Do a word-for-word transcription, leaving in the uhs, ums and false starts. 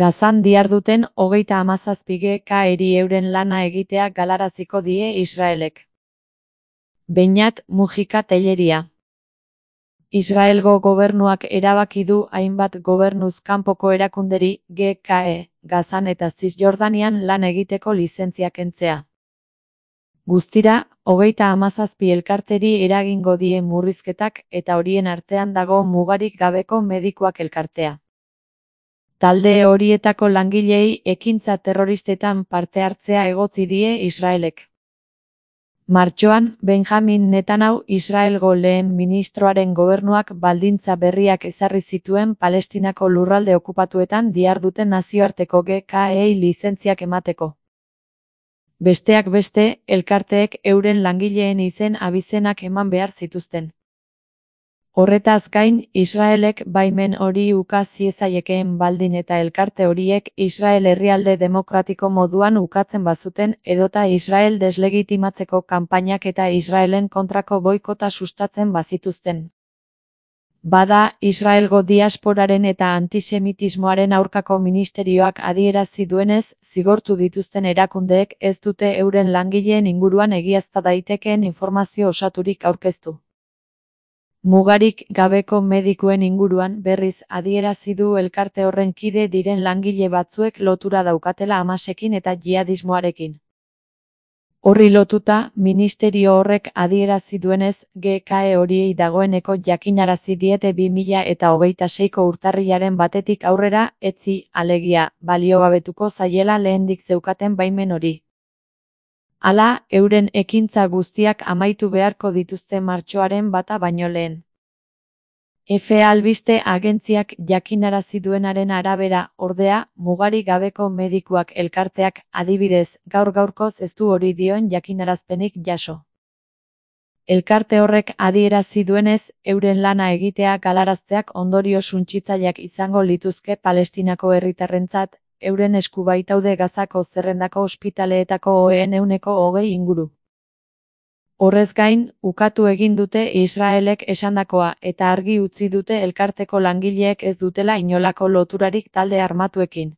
Gazan diharduten hogeita hamazazpi G K eri euren lana egitea galaraziko die Israelek. Beñat Mujika Telleria. Israelgo gobernuak erabaki du hainbat gobernuz kanpoko erakunderi G K E, Gazan eta Zisjordanian lan egiteko lizentzia kentzea. Guztira, hogeita hamazazpi elkarteri eragingo die murrizketak eta horien artean dago mugarik gabeko medikuak elkartea. Talde horietako langileei ekintza terroristetan parte hartzea egotzi die Israelek. Martxoan, Benjamin Netanyahu Israelgo lehen ministroaren gobernuak baldintza berriak ezarri zituen Palestinako lurralde okupatuetan diharduten nazioarteko G K E-ei lizentziak emateko. Besteak beste, elkarteek euren langileen izen abizenak eman behar zituzten. Horretaz gain, Israelek baimen hori uka ziezaiekeen baldin eta elkarte horiek Israel herrialde demokratiko moduan ukatzen bazuten edota Israel deslegitimatzeko kanpainak eta Israelen kontrako boikota sustatzen bazituzten. Bada, Israelgo diasporaren eta antisemitismoaren aurkako ministerioak adierazi duenez, zigortu dituzten erakundeek ez dute euren langileen inguruan egiazta daitekeen informazio osaturik aurkeztu. Mugarik gabeko medikuen inguruan berriz adierazi du elkarte horren kide diren langile batzuek lotura daukatela Hamasekin eta jihadismoarekin. Horri lotuta, ministerio horrek adierazi duenez, G K E horiei dagoeneko jakinarazi diete bi mila eta hogeita seiko urtarrilaren batetik aurrera, etzi, alegia, baliogabetuko zaiela lehendik zeukaten baimen hori. Hala, euren ekintza guztiak amaitu beharko dituzte martxoaren bata baino lehen. F albiste agentziak jakinarazi duenaren arabera, ordea, mugarik gabeko medikuak elkarteak, adibidez, gaur-gaurkoz ez du hori dioen jakinarazpenik jaso. Elkarte horrek adierazi duenez, euren lana egitea galarazteak ondorio suntsitzaileak izango lituzke Palestinako herritarrentzat, euren esku baitaude Gazako zerrendako ospitaleetako oheen ehuneko hogei inguru. Horrez gain, ukatu egin dute Israelek esandakoa eta argi utzi dute elkarteko langileek ez dutela inolako loturarik talde armatuekin.